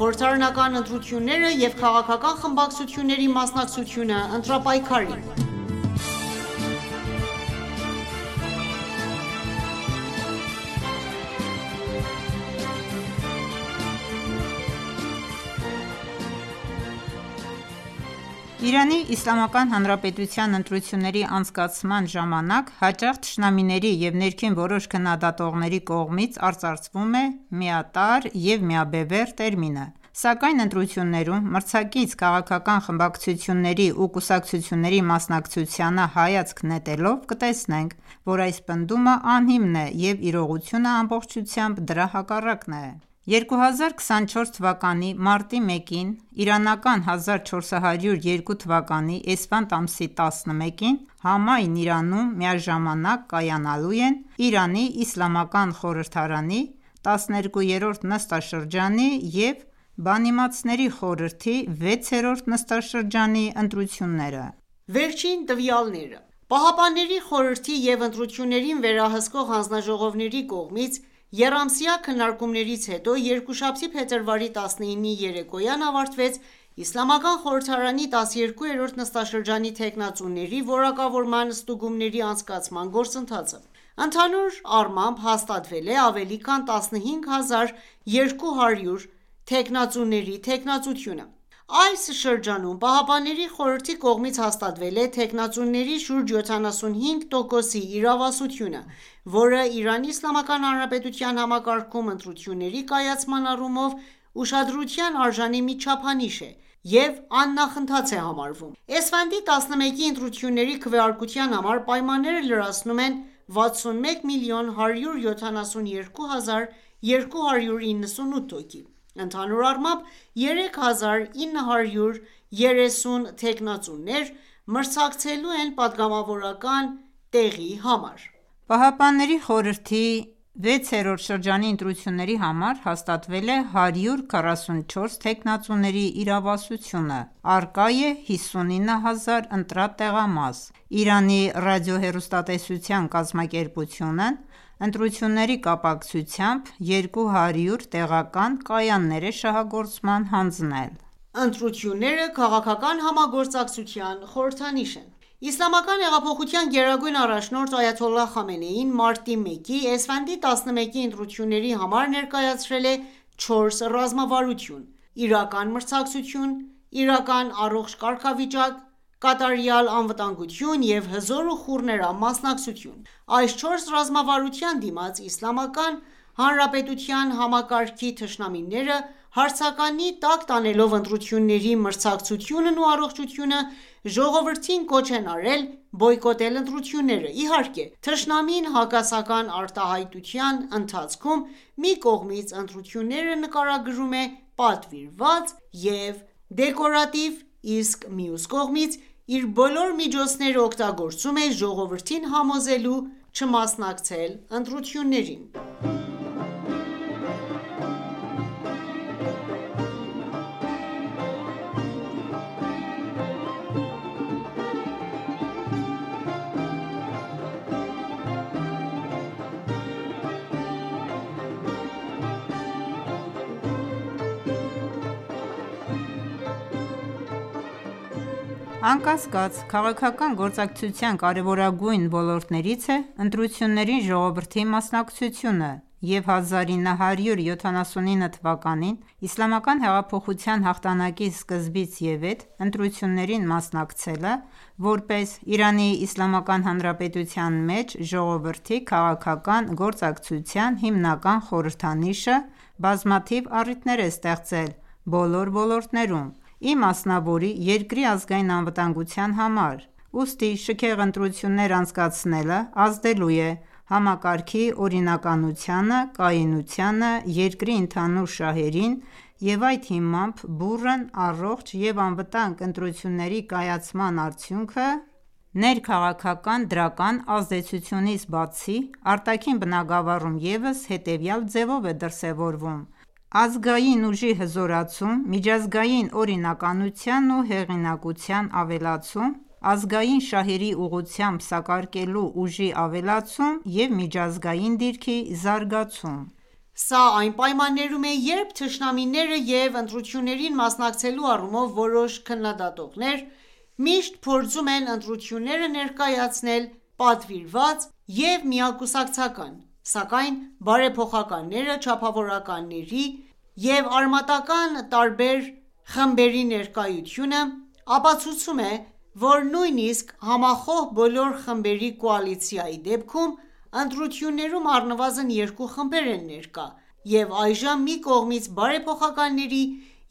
խորհրդարանական ընտրությունները և քաղաքական խմբակցությունների մասնակցությունը ընտրապայքարին: Իրանի Իսլամական Հանրապետության ընտրությունների անցկացման ժամանակ հաճախ թշնամիների և ներքին որոշ քննադատողների կողմից արծարծվում է «միատարր» և «միաբևեռ» տերմինը: Սակայն ընտրություններում մրցակից քաղաքական խմբակցությունների ու կուսակցությունների մասնակցությանը հայացք նետելով կտեսնենք, որ այս պնդումը ահիմն է և իրողությունը ամբողջությամբ դրա հակառակն է: 2024 թվականի մարտի 1-ին (իրանական 1402 թվականի էսֆանդ ամսի 11-ին) համայն Իրանում միաժամանակ կայանալու են Իրանի Իսլամական խորհրդարանի 12-րդ նստաշրջանի և Բանիմացների խորհրդի 6-րդ նստաշրջանի ընտրությունները: Վերջին տվյալները Պահապանների խորհրդի և ընտրություններին վերահսկող հանձնաժողովների կողմից եռամսյա քննարկումներից հետո երկուշաբթի փետրվարի 19-ի երեկոյան ավարտվեց Իսլամական խորհրդարանի 12-րդ նստաշրջանի թեկնածուների որակավորման ստուգումների անցկացման գործընթացը: Ընդհանուր առմամբ հաստատվել է ավելի քան 15200 թեկնածուների թեկնածությունը: Այս շրջանում Պահապանների խորհրդի կողմից հաստատվել է թեկնածուների շուրջ 75%-ի իրավասությունը, որը ԻԻՀ համակարգում ընտրությունների կայացման առումով ուշադրության արժանի մի չափանիշ է և աննախընթաց է համարվում: Էսֆանդի 11-ի ընտրությունների քվեարկության համար պայմանները լրացնում են 61,172,298 հոգի: Ընդհանուր առմամբ 3930 թեկնածուներ մրցակցելու են պատգամավորական տեղի համար: Պահապանների խորհրդի 6-րդ շրջանի ընտրությունների համար հաստատվել է 144 թեկնածուների իրավասությունը: Առկա է 59000 ընտրատեղամաս: Իրանի ռադիոհեռուստատեսության կազմակերպությունն ընտրությունների կապակցությամբ 200 տեղական կայաններ է շահագործման հանձնել: Ընտրությունները քաղաքական համագործակցության խորհրդանիշ են: Իսլամական հեղափոխության գերագույն առաջնորդ այաթոլլահ Խամենեին մարտի 1-ի Էսֆանդի 11-ի ընտրությունների համար ներկայացրել է 4 ռազմավարություն՝ իրական մրցակցություն, իրական առողջ կարգավիճակ, կատարյալ անվտանգություն և հզոր ու խուռներամ մասնակցություն: Այս 4 ռազմավարության դիմաց Իսլամական Հանրապետության համակարգի թշնամիները հարցականի տակ տանելով ընտրությունների մրցակցությունն ու առողջությունը, ժողովրդին կոչ են արել բոյկոտել ընտրությունները: Իհարկե, թշնամին հակասական արտահայտության ընթացքում մի կողմից ընտրությունները նկարագրում է պատվիրված և դեկորատիվ, իսկ մյուս կողմից իր բոլոր միջոցները օգտագործում է ժողովրդին համոզելու չմասնակցել ընտրություններին: Անկասկած, քաղաքական գործակցության կարևորագույն ոլորտներից է ընտրություններին ժողովրդի մասնակցությունը և 1979 թվականին Իսլամական հեղափոխության հաղթանակի սկզբից ևեթ ընտրություններին մասնակցելը, որպես ԻԻՀ մեջ ժողովրդի քաղաքական գործակցության հիմնական խորհրդանիշը, բազմաթիվ առիթներ է ստեղծել բոլոր ոլորտներում, ի մասնավորի երկրի ազգային անվտանգության համար: Ուստի շքեղ ընտրություններ անցկացնելը ազդելու է համակարգի օրինականությանը, կայունությանը, երկրի ընդհանուր շահերին և այդ հիմամբ բուռն, առողջ և անվտանգ ընտրությունների կայացման արդյունքը ներքաղաքական դրական ազդեցությունից բացի, արտաքին բնագավառում ևս հետևյալ ձևով է դրսևորվում՝ ազգային ուժի հզորացում, միջազգային օրինականության ու հեղինակության ավելացում, ազգային շահերի ուղղությամբ սակարկելու ուժի ավելացում և միջազգային դիրքի զարգացում: Սա այն պայմաններում է, երբ թշնամիները և ընտրություններին մասնակցելու առումով որոշ քննադատողներ միշտ փորձում են ընտրությունները ներկայացնել պատվիրված և միակուսակցական, սակայն բարեփոխականները, չափավորականների և արմատական տարբեր խմբերի ներկայությունը ապացուցում է, որ նույնիսկ համախոհ բոլոր խմբերի կոալիցիայի դեպքում, ընտրություններում առնվազն երկու խմբեր են ներկա, և այժմ մի կողմից բարեփոխականների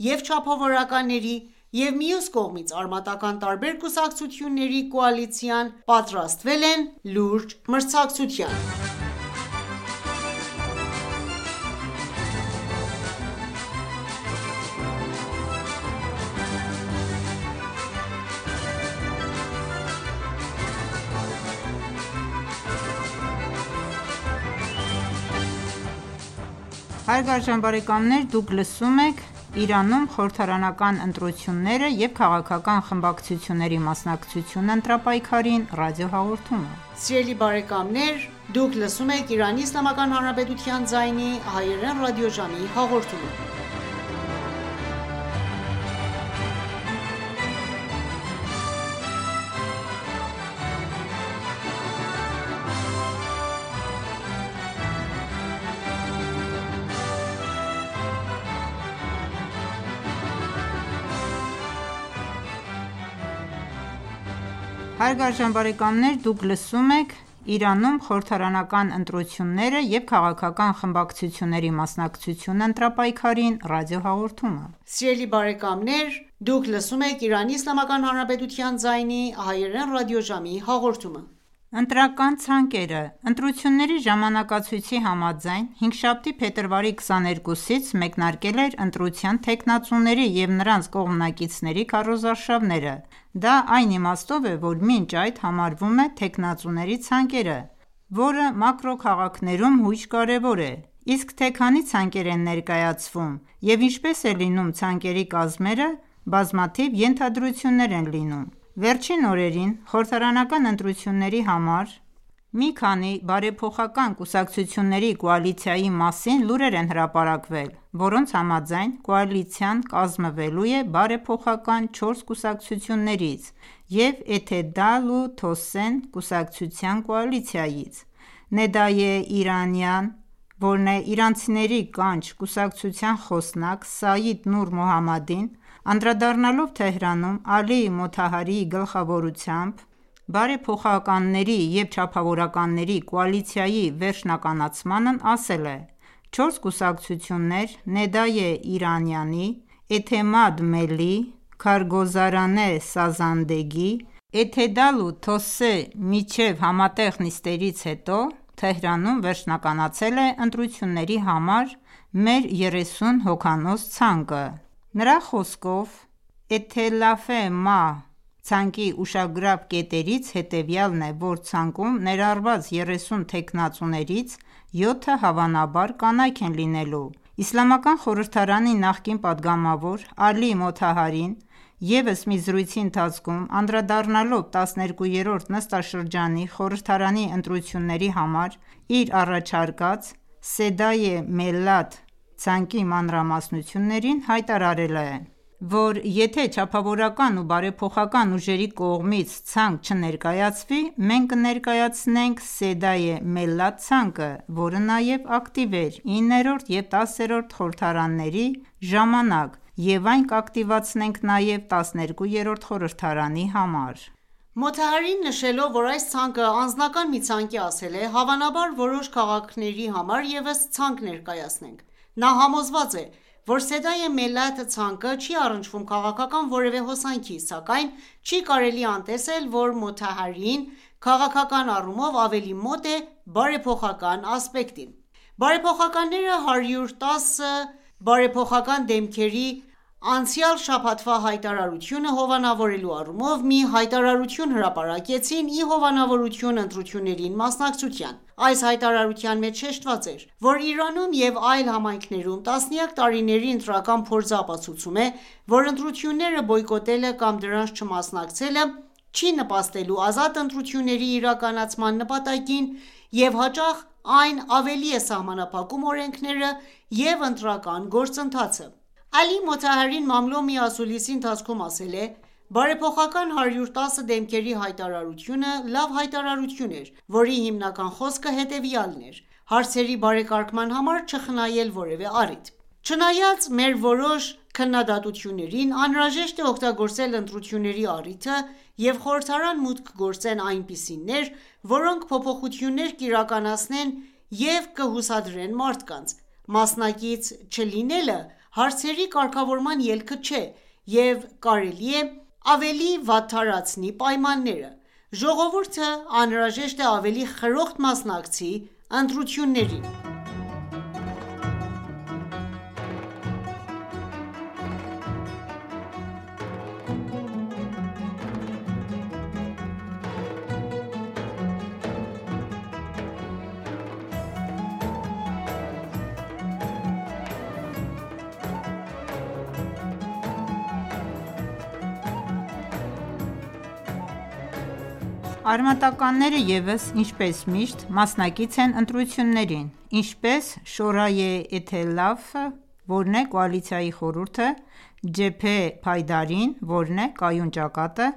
և չափավորականների և մյուս կողմից արմատական տարբեր կուսակցությունների կոալիցիան պատրաստվել են լուրջ մրցակցության: Հարգարժան բարեկամներ դուք լսում եք «Իրանում խորհրդարանական ընտրությունները և քաղաքական խմբակցությունների մասնակցությունը ընտրապայքարին» ռադիոհաղորդումը: Սիրելի բարեկամներ դուք լսում եք Իրանի Իսլամական Հանրապետության ձայնի հայերեն ռադիոժամի հաղորդումը: Հարգարժան բարեկամներ դուք լսում եք «Իրանում խորհրդարանական ընտրությունները և քաղաքական խմբակցությունների մասնակցությունը ընտրապայքարին» ռադիոհաղորդումը: Սիրելի բարեկամներ դուք լսում եք Իրանի Իսլամական Հանրապետության ձայնի հայերեն ռադիոժամի հաղորդումը: Ընտրական ցանկերը Ընտրությունների ժամանակացույցի համաձայն, հինգշաբթի, փետրվարի 22-ից մեկնարկել էր ընտրության թեկնածուների և նրանց կողմնակիցների քարոզարշավները: Դա այն իմաստով է, որ մինչ այդ համարվում է թեկնածուների ցանկերը, որը մակրոքաղաքներում հույժ կարևոր է: Իսկ թե քանի ցանկեր են ներկայացվում և ինչպես է լինում ցանկերի կազմերը, բազմաթիվ ենթադրություններ են լինում: Վերջին օրերին խորհրդարանական ընտրությունների համար մի քանի բարեփոխական կուսակցությունների կոալիցիայի մասին լուրեր են հրապարակվել, որոնց համաձայն, կոալիցիան կազմվելու է բարեփոխական 4 կուսակցություններից և «Էթեդալ ու Թոսեն» կուսակցության կոալիցիայից: «Նեդայե Իրանյան», որն է «Իրանցիների կանչ» կուսակցության խոսնակ Սաիդ Նուր Մոհամմադին, անդրադառնալով Թեհրանում Ալի Մոթահարիի գլխավորությամբ բարեփոխականների և չափավորականների կոալիցիայի վերջնականացմանն ասել է. «Չորս կուսակցություններ Նեդայե Իրանյանի, Էթեմադ Մելի, Քարգոզարանե Սազանդեգի, Էթեդալ ու Թոսե միջև համատեղ նիստերից հետո Թեհրանում վերջնականացել է ընտրությունների համար մեր 30 հոգանոց ցանկը»: Նրա խոսքով «Էթելաֆե Մահ» ցանկի ուշագրավ կետերից հետևյալն է, որ ցանկում ներառված 30 թեկնածուներից 7-ը հավանաբար կանայք են լինելու: Իսլամական խորհրդարանի նախկին պատգամավոր Ալի Մոթահարին ևս մի զրույցի ընթացքում անդրադառնալով 12-րդ նստաշրջանի խորհրդարանի ընտրությունների համար իր առաջարկած «Սեդայե Մելլաթ» ցանկի մանրամասնություններին, հայտարարել է, որ եթե չափավորական ու բարեփոխական ուժերի կողմից ցանկ չներկայացվի, մենք կներկայացնենք «Սեդայե Մելլաթ» ցանկը, որը նաև ակտիվ էր 9-րդ և 10-րդ խորհրդարանների ժամանակ և այն կակտիվացնենք նաև 12-րդ խորհրդարանի համար: Մոթահարին նշելով, որ այս ցանկը անձնական մի ցանկ է, ասել է. «Հավանաբար որոշ քաղաքների համար ևս ցանկ ներկայացնենք»: Նա համոզված է, որ «Սեդայե Մելլաթ» ցանկը չի առնչվում քաղաքական որևէ հոսանքի, սակայն չի կարելի անտեսել, որ Մոթահարին քաղաքական առումով ավելի մոտ է բարեփոխական ասպեկտին: Բարեփոխականները 110 բարեփոխական դեմքերի անցյալ շաբաթվա հայտարարությունը հովանավորելու առումով մի հայտարարություն հրապարակեցին ի հովանավորություն ընտրություններին մասնակցության: Այս հայտարարության մեջ շեշտված էր, որ Իրանում և այլ համայնքներում տասնյակ տարիների ընտրական փորձը ապացուցում է, որ ընտրությունները բոյկոտելը կամ դրանց չմասնակցելը չի նպաստելու ազատ ընտրությունների իրականացման նպատակին և հաճախ այն ավելի է սահմանափակում օրենքները և ընտրական գործընթացը: Ալի Մոթահարին Մամլոմի ասուլիսի ընթացքում ասել է.«Բարեփոխական 110 դեմքերի հայտարարությունը լավ հայտարարություն էր, որի հիմնական խոսքը հետևյալն էր՝ հարցերի բարեկարգման համար չխնայել որևէ առիթ: Չնայած մեր որոշ քննադատություններին, անհրաժեշտ է օգտագործել ընտրությունների առիթը և խորհրդարան մուտք գործեն այնպիսիներ, որոնք փոփոխություններ կիրականացնեն և կհուսադրեն մարդկանց: Մասնակից չլինելը հարցերի կարգավորման ելքը չէ և կարելի է ավելի վատթարացնի պայմանները: Ժողովուրդը անհրաժեշտ է ավելի խրոխտ մասնակցի ընտրություններին»: Արմատականները ևս ինչպես միշտ մասնակից են ընտրություններին: Ինչպես Շորայե Էթելաֆը, որն է կոալիցիայի խորհուրդը, Ջեբհե Փայդարին, որն է կայուն ճակատը,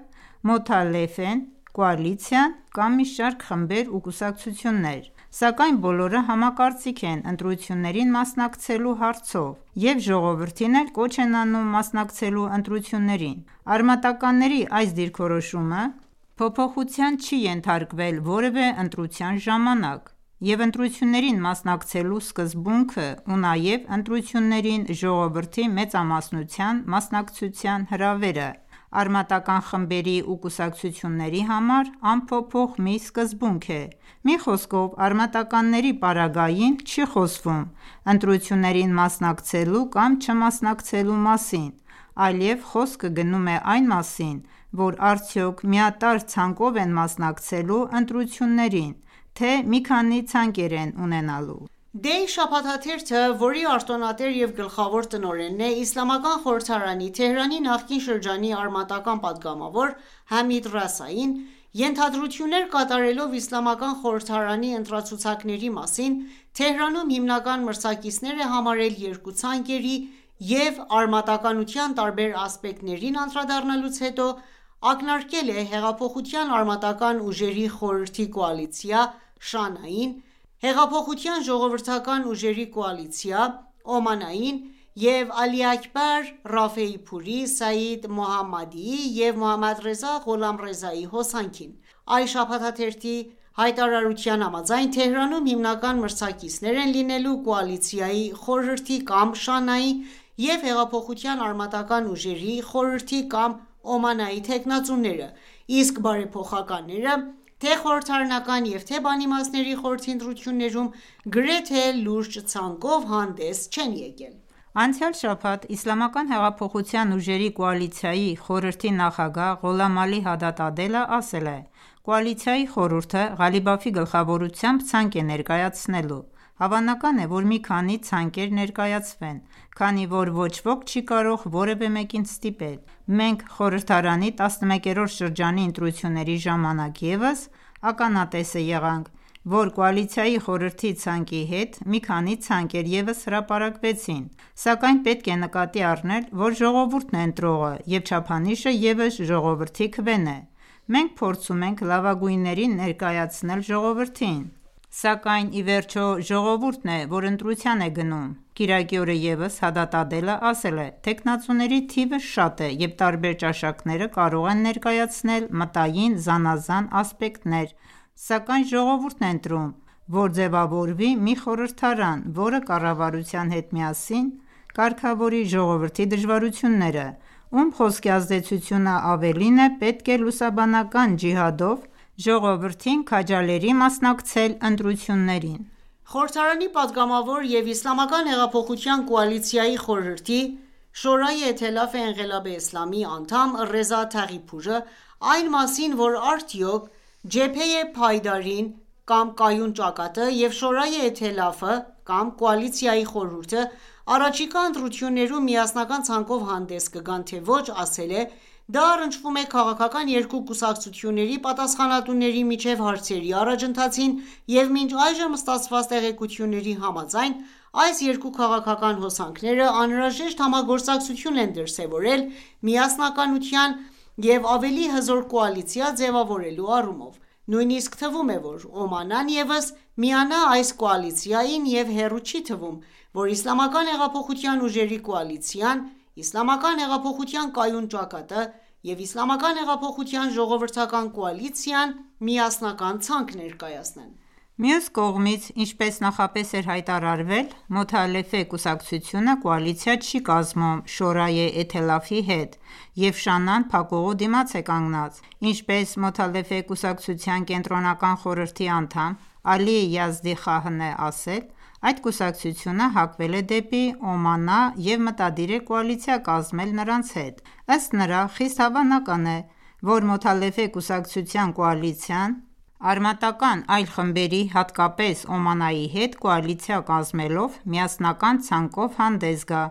Մոթալեֆեն, կոալիցիան կամ մի շարք խմբեր ու կուսակցություններ: Սակայն բոլորը համակարծիք են ընտրություններին մասնակցելու հարցով և ժողովրդին էլ կոչ են անում մասնակցելու ընտրություններին: Արմատականների այս դիրքորոշումը փոփոխության չի ենթարկվել որևէ ընտրության ժամանակ և ընտրություններին մասնակցելու սկզբունքը ու նաև ընտրություններին ժողովրդի մեծամասնության մասնակցության հրավերը արմատական խմբերի ու կուսակցությունների համար անփոփոխ մի սկզբունք է: Մի խոսքով, արմատականների պարագային չի խոսվում ընտրություններին մասնակցելու կամ չմասնակցելու մասին, այլև խոսքը գնում է այն մասին, որ արդյոք միատարր ցանկով են մասնակցելու ընտրություններին, թե մի քանի ցանկեր են ունենալու: Day շաբաթաթերթը, որի արտոնատեր և գլխավոր տնօրենն է Իսլամական խորհրդարանի Թեհրանի նախկին շրջանի արմատական պատգամավոր Համիդ Ռասային, ենթադրություններ կատարելով Իսլամական խորհրդարանի ընտրացուցակների մասին, Թեհրանում հիմնական մրցակիցներ է համարել երկու ցանկերի և արմատականության տարբեր ասպեկտներին անդրադառնալուց հետո, ակնարկել է Հեղափոխության արմատական ուժերի խորհրդի կոալիցիա (ՇԱՆԱ)-ին, Հեղափոխության ժողովրդական ուժերի կոալիցիա (օմանա)-ին և Ալիաքբար Ռաֆեիփուրի, Սաիդ Մոհամմադիի և Մոհամմադռեզա Ղոլամռեզայի հոսանքին: Այս շաբաթաթերթի հայտարարության համաձայն, Թեհրանում հիմնական մրցակիցներ են լինելու կոալիցիայի խորհրդի կամ ՇԱՆԱ-ի և Հեղափոխության արմատական ուժերի խորհրդի կամ օմանայի թեկնածուները, իսկ բարեփոխականները թե՛ խորհրդարանական և թե՛ բանիմացների խորհրդի ընտրություններում գրեթե լուրջ ցանկով հանդես չեն եկել: Անցյալ շաբաթ Իսլամական հեղափոխության ուժերի կոալիցիայի խորհրդի նախագահ Ղոլամ Ալի Հադադ Ադելը ասել է.«Կոալիցիայի խորհուրդը Ղալիբաֆի գլխավորությամբ ցանկ է ներկայացնելու: Հավանական է, որ մի քանի ցանկեր ներկայացվեն, քանի որ ոչ ոք չի կարող որևէ մեկին ստիպել: Մենք խորհրդարանի 11-րդ շրջանի ընտրությունների ժամանակ ևս ականատես եղանք, որ կոալիցիայի խորհրդի ցանկի հետ մի քանի ցանկեր ևս հրապարակվեցին: Սակայն պետք է նկատի առնել, որ ժողովուրդն է ընտրողը և չափանիշը ևս ժողովրդի քվեն է: Մենք փորձում ենք լավագույններին ներկայացնել ժողովրդին: Սակայն ի վերջո ժողովուրդն է, որ ընտրության է գնում»: Կիրակի օրը ևս Հադադ Ադելը ասել է.«Թեկնածուների թիվը շատ է և տարբեր ճաշակները կարող են ներկայացնել մտային զանազան ասպեկտներ, սակայն ժողովուրդն է ընտրում, որ ձևավորվի մի խորհրդարան, որը կառավարության հետ միասին կարգավորի ժողովրդի դժվարությունները, ում խոսքի ազդեցությունը ավելին է, պետք է լուսաբանական ջիհադով ժողովրդին քաջալերի մասնակցել ընտրություններին»: Խորհրդարանի պատգամավոր և Իսլամական հեղափոխության կոալիցիայի խորհրդի Շորայե Էթելաֆ Էնղելաբ Էսլամի անդամ Ռեզա Թաղիփուրը այն մասին, որ արդյոք Ջեբհե Փայդարին կամ կայուն ճակատը և Շորայե Էթելաֆը կամ կոալիցիայի խորհուրդը առաջիկա ընտրություններում միասնական ցանկով հանդես կգան թե ոչ, ասել է. «Դա առնչվում է քաղաքական երկու կուսակցությունների պատասխանատուների միջև հարցերի առաջընթացին և մինչ այժմ ստացված տեղեկությունների համաձայն, այս երկու քաղաքական հոսանքները անհրաժեշտ համագործակցություն են դրսևորել միասնականության և ավելի հզոր կոալիցիա ձևավորելու առումով: Նույնիսկ թվում է, որ Օմանն ևս միանա այս կոալիցիային և հեռու չի թվում, որ Իսլամական հեղափոխության ուժերի կոալիցիան, Իսլամական հեղափոխության կայուն ճակատը և Իսլամական հեղափոխության ժողովրդական կոալիցիան միասնական ցանկ ներկայացնեն»: Մյուս կողմից, ինչպես նախապես էր հայտարարվել, Մոթալեֆե կուսակցությունը կոալիցիա չի կազմում Շորայե Էթելաֆի հետ և Շանան փակուղու դիմաց է կանգնած: Ինչպես Մոթալեֆե կուսակցության կենտրոնական խորհրդի անդամ Ալի Յազդի Խահն է ասել, այդ կուսակցությունը հակվել է դեպի Օմանա և մտադիր է կոալիցիա կազմել նրանց հետ: Ըստ նրա, խիստ հավանական է, որ Մոթալեֆե կուսակցության կոալիցիան արմատական այլ խմբերի, հատկապես Օմանայի հետ կոալիցիա կազմելով միասնական ցանկով հանդես գա: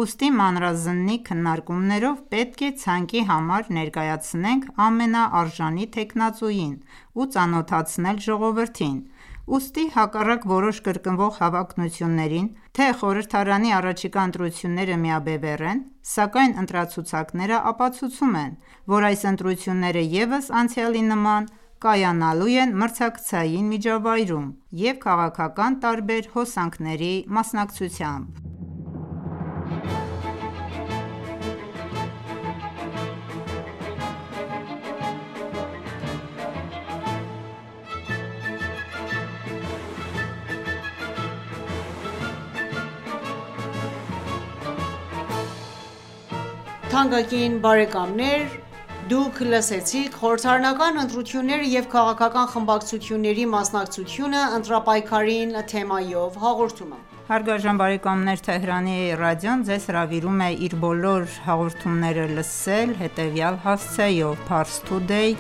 Ուստի մանրազննի քննարկումներով պետք է ցանկի համար ներկայացնենք ամենաարժանի թեկնածուին ու ծանոթացնել ժողովրդին: Ուստի հակառակ որոշ կրկնվող հավակնություններին, թե խորհրդարանի առաջիկա ընտրությունները միաբևեռ են, սակայն ընտրացուցակները ապացուցում են, որ այս ընտրությունները ևս անցյալի նման կայանալու են մրցակցային միջավայրում և քաղաքական տարբեր հոսանքների մասնակցությամբ: Խորհրդարանական ընտրությունները և քաղաքական խմբակցությունների մասնակցությունը ընտրապայքարին թեմայով հաղորդումը: Թեհրանի ռադիոն ձեզ հրավիրում է իր բոլոր հաղորդումները լսել հետևյալ հասցեով՝ parstoday.ir/hy